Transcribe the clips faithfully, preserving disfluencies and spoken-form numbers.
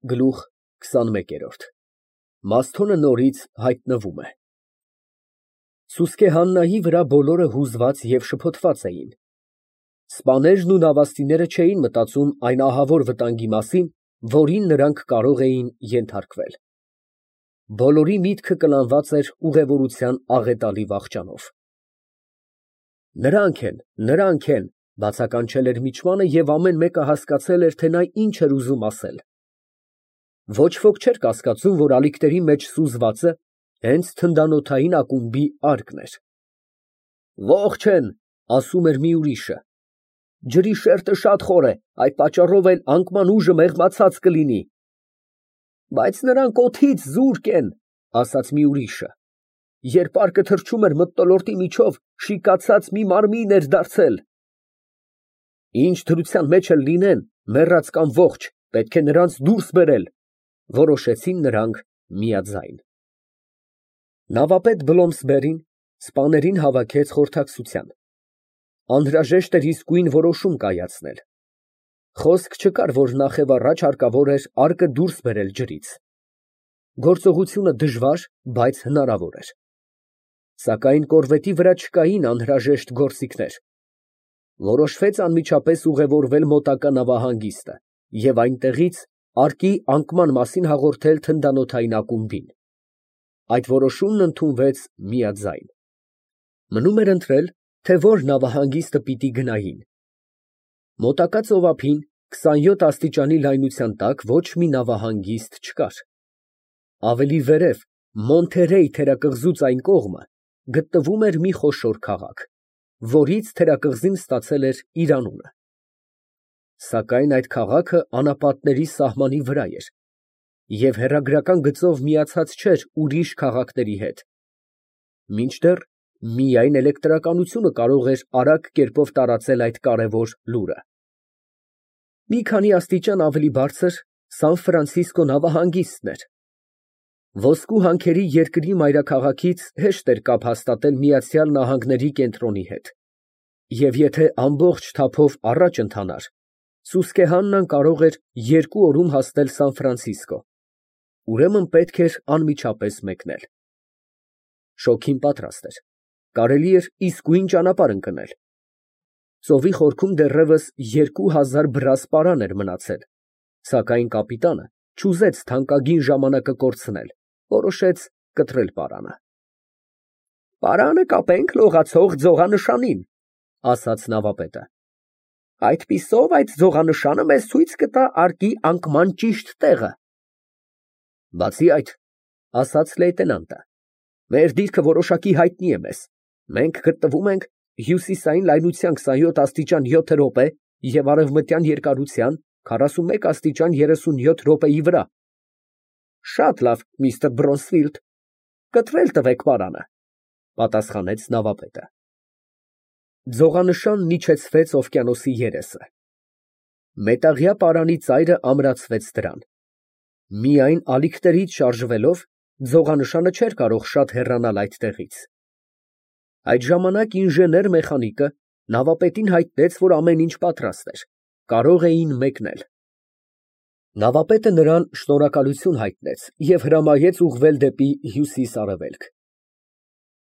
Գլուխ քսանմեկ։ Մասթոնը նորից հայտնվում է։ Սուսկե Հաննայի վրա բոլորը հուզված և շփոթված էին։ Սպաներն ու նավաստիները չէին մտածում այն ահավոր վտանգի մասին, որին նրանք կարող էին ենթարկվել։ Բոլորի միտքը կլանված էր ուղևորության աղետալի վախճանով։ «Նրանք են, նրանք են», բացականչել էր միջմանը, և ամեն մեկը հասկացել էր, թե նա ինչ էր ուզում ասել։ Ոչ ոք չէր կասկածում, որ ալիքների մեջ սուզվածը հենց թնդանոթային ակումբի արկն էր։ «Ողջ են», ասում էր մի ուրիշը։ «Ջրի շերտը շատ խոր է, այդ պատճառով էլ անկման ուժը մեղմացած կլինի»։ «Բայց նրանք օդից զուրկ են», ասաց մի ուրիշը։ «Երբ արկը թռչում էր մթնոլորտի միջով, շիկացած մի մարմին էր դարձել»։ «Ինչ դրության մեջ էլ լինեն, մեռած կամ ողջ, պետք է նրանց դուրս բերել», որոշեցին նրանք միաձայն։ Նավապետ Բլոմսբերին սպաներին հավաքեց խորհրդակցության։ Անհրաժեշտ էր իսկույն որոշում կայացնել։ Խոսք չկար, որ նախևառաջ հարկավոր էր արկը դուրս բերել ջրից։ Գործողությունը դժվար, բայց հնարավոր էր։ Սակայն կորվետի վրա չկային անհրաժեշտ գործիքներ։ Որոշվեց անմիջապես ուղևորվել մոտակա նավահանգիստը և այնտեղից արկի անկման մասին հաղորդել թնդանոթային ակումբին։ Այդ որոշումն ընդունվեց միաձայն։ Մնում էր ընտրել, թե որ նավահանգիստը պիտի գնային։ Մոտակա ծովափին քսանյոթ աստիճանի լայնության տակ ոչ մի նավահանգիստ չկար։ Ավելի վերև, Մոնթերեյ թերակղզուց այն կողմը, գտնվում էր մի խոշոր քաղաք, որից թերակղզին ստացել էր իր անունը։ Սակայն այդ քաղաքը անապատների սահմանի վրա էր և հեռագրական գծով միացած չէր ուրիշ քաղաքների հետ, մինչդեռ միայն էլեկտրականությունը կարող էր արագ կերպով տարածել այդ կարևոր լուրը։ Մի քանի աստիճան ավելի բարձր Սան Ֆրանցիսկո նավահանգիստն էր։ Ոսկու հանքերի երկրի մայրաքաղաքից հեշտ էր կապ հաստատել Միացյալ Նահանգների կենտրոնի հետ, և եթե ամբողջ թափով առաջ ընթանար, Սուսկեհաննան կարող էր երկու օրում հասնել Սան Ֆրանցիսկո, ուրեմն պետք էր անմիջապես մեկնել։ Շոգին պատրաստ էր, կարելի էր իսկույն ճանապարհ ընկնել։ Ծովի խորքում դեռևս երկու հազար բրաս պարան էր մնացել, սակայն կապիտանը չուզեց թանկագին ժամանակը կորցնել, որոշեց կտրել պարանը։ «Պարանը կապենք լողացող ձողանշանին», ասաց նավապետը։ «Այդպիսով այդ ձողանշանը մեզ ցույց կտա արկի անկման ճիշտ տեղը»։ «Բացի այդ», ասաց լեյտենանտը, «մեր դիրքը որոշակի հայտնի է մեզ. մենք գտնվում ենք հյուսիսային լայնության քսանյոթ աստիճան յոթ րոպե և արևմտյան երկարության քառասունմեկ աստիճան երեսունյոթ րոպեի վրա»։ «Շատ լավ, միստր Բրոնսֆիլդ, կտրել տվեք պարանը», պատասխանեց նավապետը։ Ձողանշանն իջեցվեց օվկիանոսի երեսը։ Մետաղյա պարանի ծայրը ամրացվեց դրան։ Միայն ալիքներից շարժվելով ձողանշանը չէր կարող շատ հեռանալ այդտեղից։ Այդ ժամանակ ինժեներ֊մեխանիկը նավապետին հայտնեց, որ ամեն ինչ պատրաստ էր, կարող էին մեկնել։ Նավապետը նրան շնորհակալություն հայտնեց և հրամայեց ուղղվել դեպի հյուսիս֊արևելք։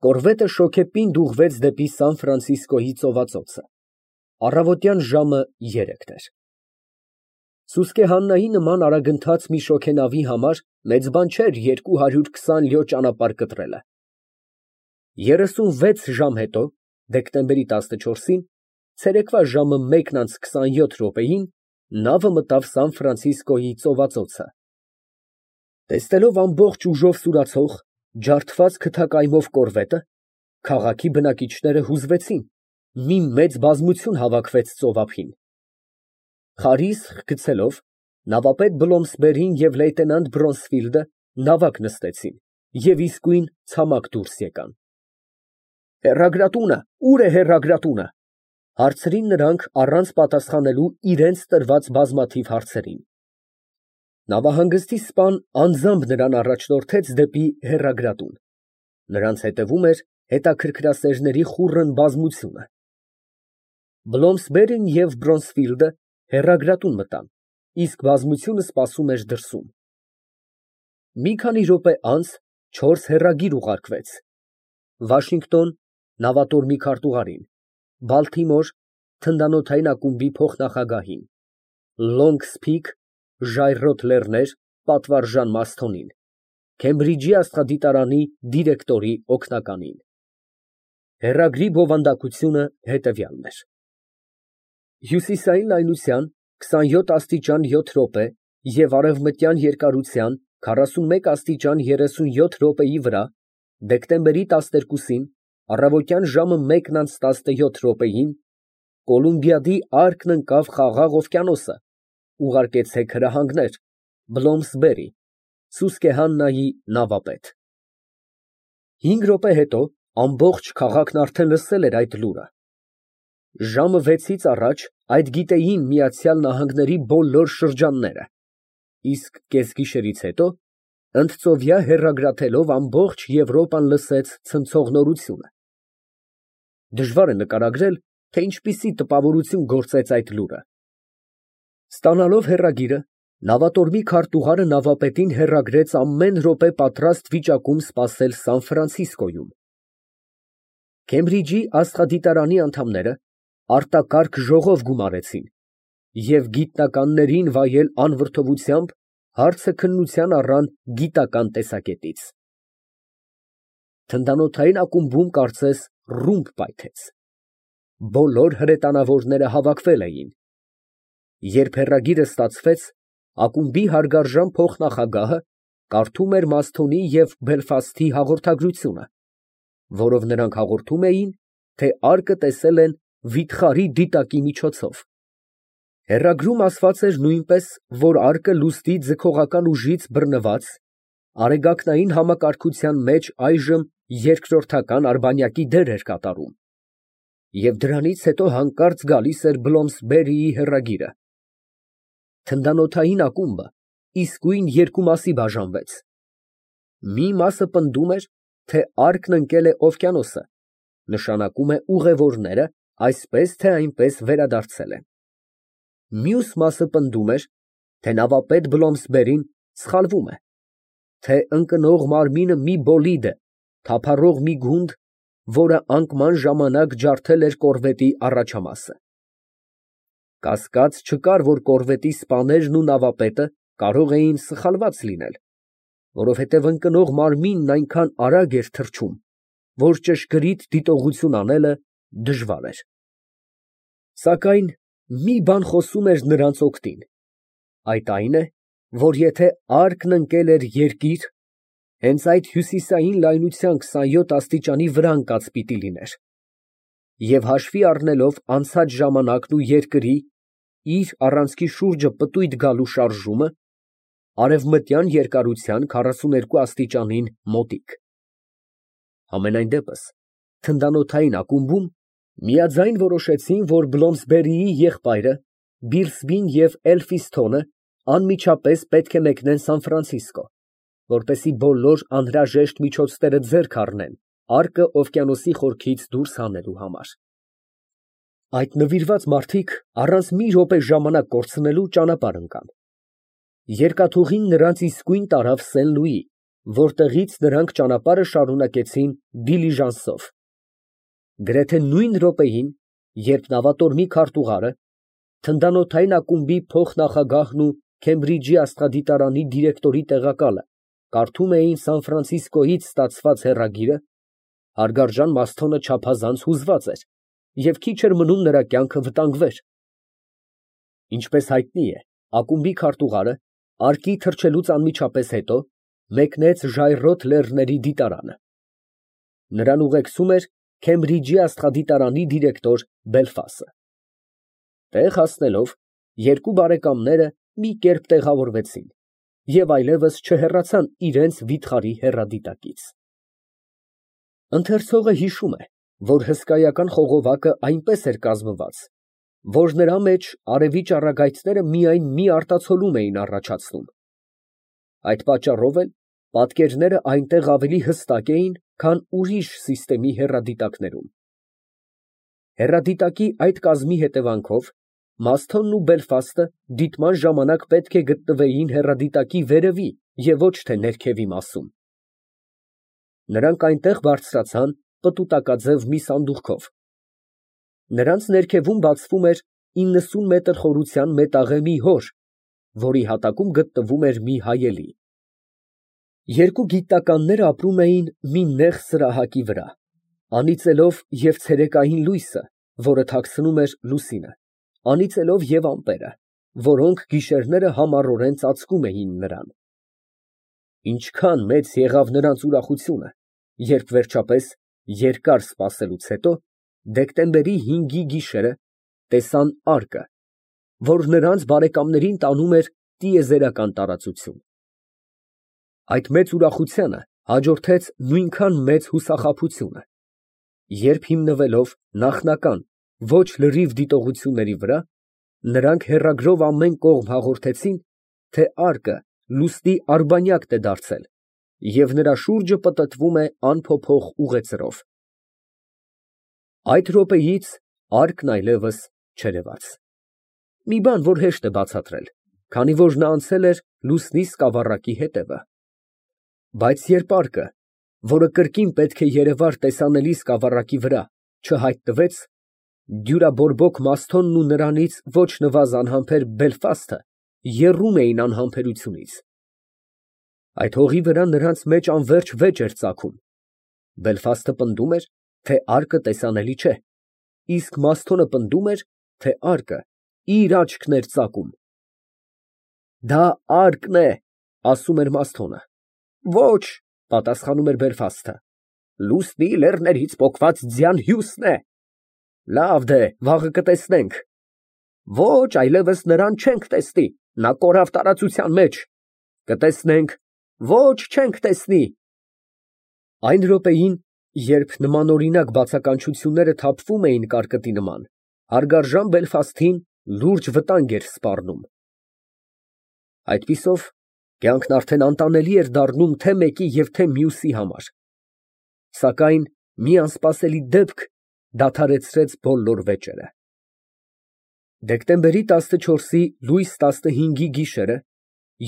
Կորվետը շոգեպինդ ուղղվեց դեպի Սան Ֆրանցիսկոյի ծովածոցը։ Առավոտյան ժամը երեքն էր։ Սուսկեհաննայի նման արագընթաց մի շոգենավի համար մեծ բան չէր երկու հարյուր քսան լյո ճանապարհ կտրելը։ Երեսունվեց ժամ հետո, դեկտեմբերի տասնչորսին, ցերեկվա ժամը մեկն անց քսանյոթ րոպեին, նավը մտավ Սան Ֆրանցիսկոյի ծովածոցը։ Տեսնելով ամբողջ ուժով սուրացող, ջարդված քթակայմով կորվետը, քաղաքի բնակիչները հուզվեցին, մի մեծ բազմություն հավաքվեց ծովափին։ Խարիսխ գցելով, նավապետ Բլոմսբերին և լեյտենանտ Բրոնսֆիլդը նավակ նստեցին և իսկույն ցամաք դուրս եկան։ «Հեռագրատունը, ո՞ւր է հեռագրատունը», հարցրին նրանք առանց պատասխանելու իրենց տրված բազմաթիվ հարցերին։ Նավահանգստի սպան անձամբ նրան առաջնորդեց դեպի հեռագրատուն։ Նրանց հետևում էր հետաքրքրասերների խուռն բազմությունը։ Բլոմսբերին և Բրոնսֆիլդը հեռագրատուն մտան իսկ բազմությունը սպասում էր դրսում։ Մի քանի րոպե անց չորս հեռագիր ուղարկվեց. Վաշինգտոն նավատորմի քարտուղարին, Բալթիմոր թնդանոթային ակումբի փոխնախագահին, Լոնգս Փիք ժայռոտ լեռներ պատվարժան Մասթոնին, Քեմբրիջի աստղադիտարանի դիրեկտորի օգնականին։ Հեռագրի բովանդակությունը հետևյալն էր. Հյուսիսային լայնության քսանյոթ աստիճան յոթ րոպե և արևմտյան երկարության քառասունմեկ աստիճան երեսունյոթ րոպեի վրա դեկտեմբերի տասներկուսին առավոտյան ժամը մեկն անց տասնյոթ րոպեին Կոլումբիադիարկն ընկավ Խաղաղ օվկիանոսը, ուղարկեցեք հրահանգներ, Բլոմսբերի, Սուսկեհաննայի նավապետ։ Հինգ րոպե հետո ամբողջ քաղաքն արդեն լսել էր այդ լուրը։ Ժամը վեցից առաջ այդ գիտեին Միացյալ Նահանգների բոլոր շրջանները, իսկ կեսգիշերից հետո ընդծովյա հեռագրաթելով ամբողջ Եվրոպան լսեց ցնցող նորությունը։ Դժվար է նկարագրել, թե ինչպիսի տպավորություն գործեց այդ լուրը։ Ստանալով հեռագիրը, նավատորմի քարտուղարը նավապետին հեռագրեց ամեն րոպե պատրաստ վիճակում սպասել Սան Ֆրանցիսկոյում։ Քեմբրիջի աստղադիտարանի անդամները արտակարգ ժողով գումարեցին և գիտնականներին վայել անվրդովությամբ հարցը քննության առան գիտական տեսակետից։ Թնդանոթային ակումբում կարծես ռումբ պայթեց։ Բոլոր հրետանավորները հավաքվել էին։ Երբ հեռագիրը ստացվեց, ակումբի հարգարժան փոխնախագահը կարդում էր Մասթոնի և Բելֆասթի հաղորդագրությունը, որով նրանք հաղորդում էին, թե արկը տեսել են վիթխարի դիտակի միջոցով։ Հեռագրում ասված էր նույնպես, որ արկը լուսնի ձգողական ուժից բռնված, արեգակնային համակարգության մեջ այժմ երկրորդական արբանյակի դեր էր կատարում։ Եվ դրանից հետո հանկարծ գալիս էր Բլոմսբերիի հեռագիրը։ Թնդանոթային ակումբը իսկույն երկու մասի բաժանվեց։ Մի մասը պնդում էր, թե արկն ընկել է օվկիանոսը, նշանակում է ուղևորները այսպես թե այնպես վերադարձել են։ Մյուս մասը պնդում էր, թե նավապետ Բլոմսբերին սխալվում է, թե ընկնող մարմինը մի բոլիդ է, թափառող մի գունդ, որը անկման ժամանակ ջարդել էր կորվետի առաջամասը։ Կասկած չկար, որ կորվետի սպաներն ու նավապետը կարող էին սխալված լինել, որովհետև ընկնող մարմինն այնքան արագ էր թռչում, որ ճշգրիտ դիտողություն անելը դժվար էր։ Սակայն մի բան խոսում էր նրանց օգտին, այդ այն է, որ եթե արկն ընկել էր երկիր, հենց այդ հյուսիսային լայնության քսանյոթ աստիճանի վրա ընկած պիտի լիներ, և հաշվի առնելով անցած ժամանակն ու երկրի իր առանցքի շուրջը պտույտ գալու շարժումը, արևմտյան երկարության քառասուներկու աստիճանին մոտիկ։ Համենայն դեպս, թնդանոթային ակումբում միաձայն որոշեցին, որ Բլոմսբերիի եղբայրը Բիլսբին և Էլֆիսթոնը անմիջապես պետք է մեկնեն Սան Ֆրանցիսկո, որպեսզի բոլոր անհրաժեշտ միջոցները ձեռք առնեն արկը օվկիանոսի խորքից դուրս հանելու համար։ Այդ նվիրված մարդիկ առանց մի րոպե ժամանակ կորցնելու ճանապարհ ընկան։ Երկաթուղին նրանց իսկույն տարավ Սեն֊Լուի, որտեղից նրանք ճանապարհը շարունակեցին դիլիժանսով։ Գրեթե նույն րոպեին, երբ նավատորմի քարտուղարը, թնդանոթային ակումբի փոխնախագահն ու Քեմբրիջի աստղադիտարանի դիրեկտորի տեղակալը կարդում էին Սան Ֆրանցիսկոյից ստացված հեռագիրը, հարգարժան Մասթոնը չափազանց հուզված էր և քիչ էր մնում նրա կյանքը վտանգվեր։ Ինչպես հայտնի է, ակումբի քարտուղարը, արկի թռչելուց անմիջապես հետո, մեկնեց ժայռոտ լեռների դիտարանը։ Նրան ուղեկցում էր Քեմբրիջի աստղադիտարանի դիրեկտոր Բելֆասը։ Տեղ հասնելով, երկու բարեկամները մի կերպ տեղավորվեցին և այլևս չհեռացան իրենց վիթխարի հեռադիտակից։ Ընթերցողը հիշում է, որ հսկայական խողովակը այնպես էր կազմված, որ նրա մեջ արևի ճառագայթները միայն մի արտացոլում էին առաջացնում։ Այդ պատճառով էլ պատկերները այնտեղ ավելի հստակ էին, քան ուրիշ սիստեմի հեռադիտակներում։ Հեռադիտակի այդ կազմի հետևանքով Մասթոնն ու Բելֆաստը դիտման ժամանակ պետք է գտնվեին հեռադիտակի վերևի և ոչ թե ներքևի մասում։ Նրանք այնտեղ բարձրացան պտուտակաձև մի սանդուղքով։ Նրանց ներքևում բացվում էր իննսուն մետր խորության մետաղե մի հոր, որի հատակում գտնվում էր մի հայելի։ Երկու գիտնականներ ապրում էին մի նեղ սրահակի վրա, անիծելով և ցերեկային լույսը, որը թաքցնում էր լուսինը, անիծելով և ամպերը, որոնք գիշերները համառորեն ծածկում էին նրան։ Ինչքան մեծ եղավ նրանց ուրախությունը, երբ վերջապես, երկար սպասելուց հետո, դեկտեմբերի հինգի գիշերը տեսան արկը, որ նրանց բարեկամներին տանում էր տիեզերական տարածություն։ Այդ մեծ ուրախությանը հաջորդեց նույնքան մեծ հուսախաբությունը, երբ հիմնվելով նախնական, ոչ լրիվ դիտողությունների վրա, նրանք հեռագրով ամեն կողմ հաղորդեցին, թե արկը լուսնի արբանյակն է դարձել և նրա շուրջը պտտվում է անփոփոխ ուղեծրով։ Այդ րոպեից արկն այլևս չերևաց։ Մի բան, որ հեշտ է բացատրել, քանի որ նա անցել էր լուսնի սկավառակի հետևը։ Բայց երբ արկը, որը կրկին պետք է երևար տեսանելի սկավառակի վրա, չհայտնվեց, դյուրաբորբոք Մասթոնն ու նրանից ոչ նվազ անհամբեր Բելֆաստը եռում էին անհամբերությունից։ Այդ հողի վրա նրանց մեջ անվերջ վեճ էր ծագում։ Բելֆաստը պնդում էր, թե արկը տեսանելի չէ, իսկ Մասթոնը պնդում էր, թե արկը իր աչքն էր ծակում։ Դա արկն է, ասում էր Մասթոնը։ Ոչ, պատասխանում էր Բելֆաստը, լուսնի լեռներից պոկված ձյան հյուսն է։ Լավ դե, վաղը կտեսնենք։ Ոչ, այլևս նրան չենք տեսնի, նա կորավ տարածության մեջ։ Կտեսնենք։ Ոչ, չենք տեսնի։ Այն րոպեին, երբ նմանօրինակ բացականչությունները թափվում էին կարկտի նման, հարգարժան Բելֆաստին լուրջ վտանգ էր սպառնում։ Այդպիսով կյանքն արդեն անտանելի էր դառնում թե մեկի և թե մյուսի համար։ Սակայն մի անսպասելի դեպք դադարեցրեց բոլոր վեճերը։ Դեկտեմբերի տասնչորսի լույս տասնհինգի գիշերը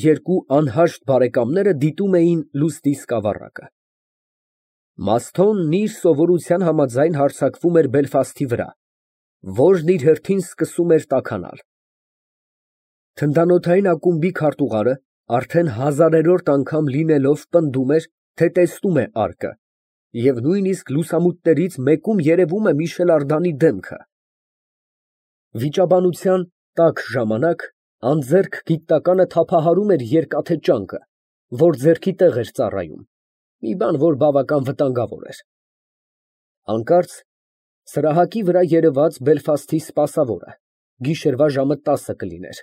երկու անհաշտ բարեկամները դիտում էին լուսնի սկավառակը։ Մասթոնն իր սովորության համաձայն հարձակվում էր Բելֆաստի վրա, որն իր հերթին սկսում էր տաքանալ։ Թնդանոթային ակումբի քարտուղարը արդեն հազարերորդ անգամ լինելով պնդում էր, թե տեսնում է արկը, և նույնիսկ լուսամուտներից մեկում երևում է Միշել Ардանի դեմքը։ Վիճաբանության տաք ժամանակ անձեռք գիտնականը թափահարում էր երկաթե ճանկը, որ ձեռքի տեղ էր ծառայում, մի բան, որ բավական վտանգավոր էր։ Հանկարծ սրահակի վրա երևաց Բելֆաստի սպասավորը, գիշերվա ժամը տասը կլիներ,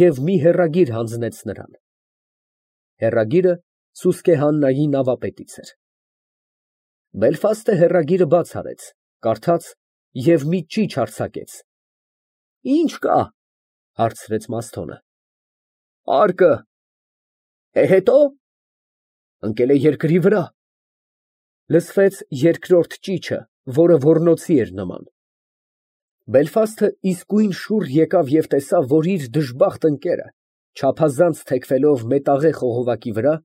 և մի հեռագիր հանձնեց նրան։ Հեռագիրը Սուսկեհաննայի նավապետից էր։ Բելֆաստը հեռագիրը բաց արեց, կարդաց և մի ճիչ արձակեց։ Ի՞նչ կա, հարցրեց Մասթոնը։ Արկը։ Է, հետո։ Ընկել է երկրի վրա։ Լսվեց երկրորդ ճիչը, որը ոռնոցի էր նման։ Բելֆաստը իսկույն շուռ եկավ և տեսավ, որ իր դժբախտ ընկերը, չափազանց թեքվելով մետաղե խողովակի վրա,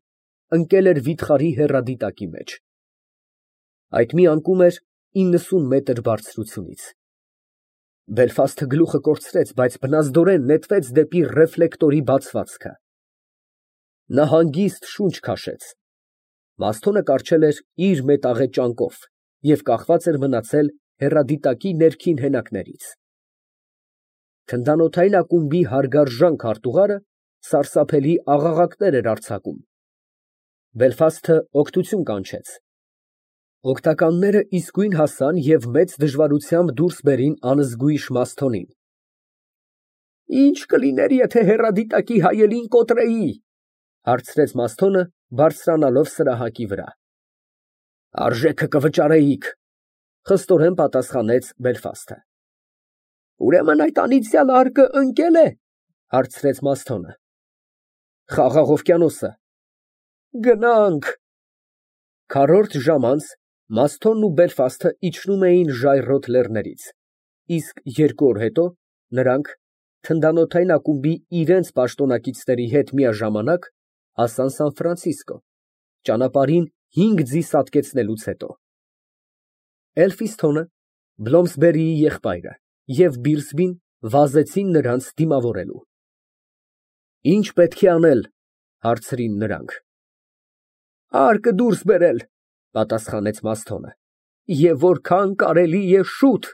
ընկել էր վիթխարի հեռադիտակի մեջ։ Այդ մի անկում էր իննսուն մետր բարձրությունից։ Բելֆաստը գլուխը կորցրեց, բայց բնազդորեն նետվեց դեպի ռեֆլեկտորի բացվածքը։ Նա հանգիստ շունչ քաշեց։ Մասթոնը կառչել էր իր մետաղե ճանկով և կախված էր մնացել հեռադիտակի ներքին հենակներից։ Թնդանոթային ակումբի հարգարժան քարտուղարը սարսափելի աղաղակներ էր արձակում։ Բելֆաստը օգնություն կանչեց։ Օգնականները իսկույն հասան և մեծ դժվարությամբ դուրս բերին անզգույշ Մասթոնին։ Ի՞նչ կլիներ, եթե հեռադիտակի հայելին կոտրեի, հարցրեց Մասթոնը, բարձրանալով սրահակի վրա։ Արժեքը կվճարեիք, խստորեն պատասխանեց Բելֆաստը։ Ուրեմն այդ անիծյալ արկը ընկել է, հարցրեց Մասթոնը։ Խաղաղ օվկիանոսը։ Գնանք։ Քառորդ ժամ անց Մասթոնն ու Բելֆաստը իջնում էին ժայռոտ լեռներից, իսկ երկու օր հետո նրանք թնդանոթային ակումբի իրենց պաշտոնակիցների հետ միաժամանակ հասան Սան Ֆրանցիսկո, ճանապարհին հինգ ձի սատկեցնելուց հետո։ Էլֆիսթոնը, Բլոմսբերիի եղբայրը և Բիլսբին վազեցին նրանց դիմավորելու։ «Ի՞նչ պետք է անել, ֊ հարցրին նրանք։ ֊ Արկը դուրս բերել, ֊ պատասխանեց Մասթոնը, ֊ և որքան կարելի է շուտ։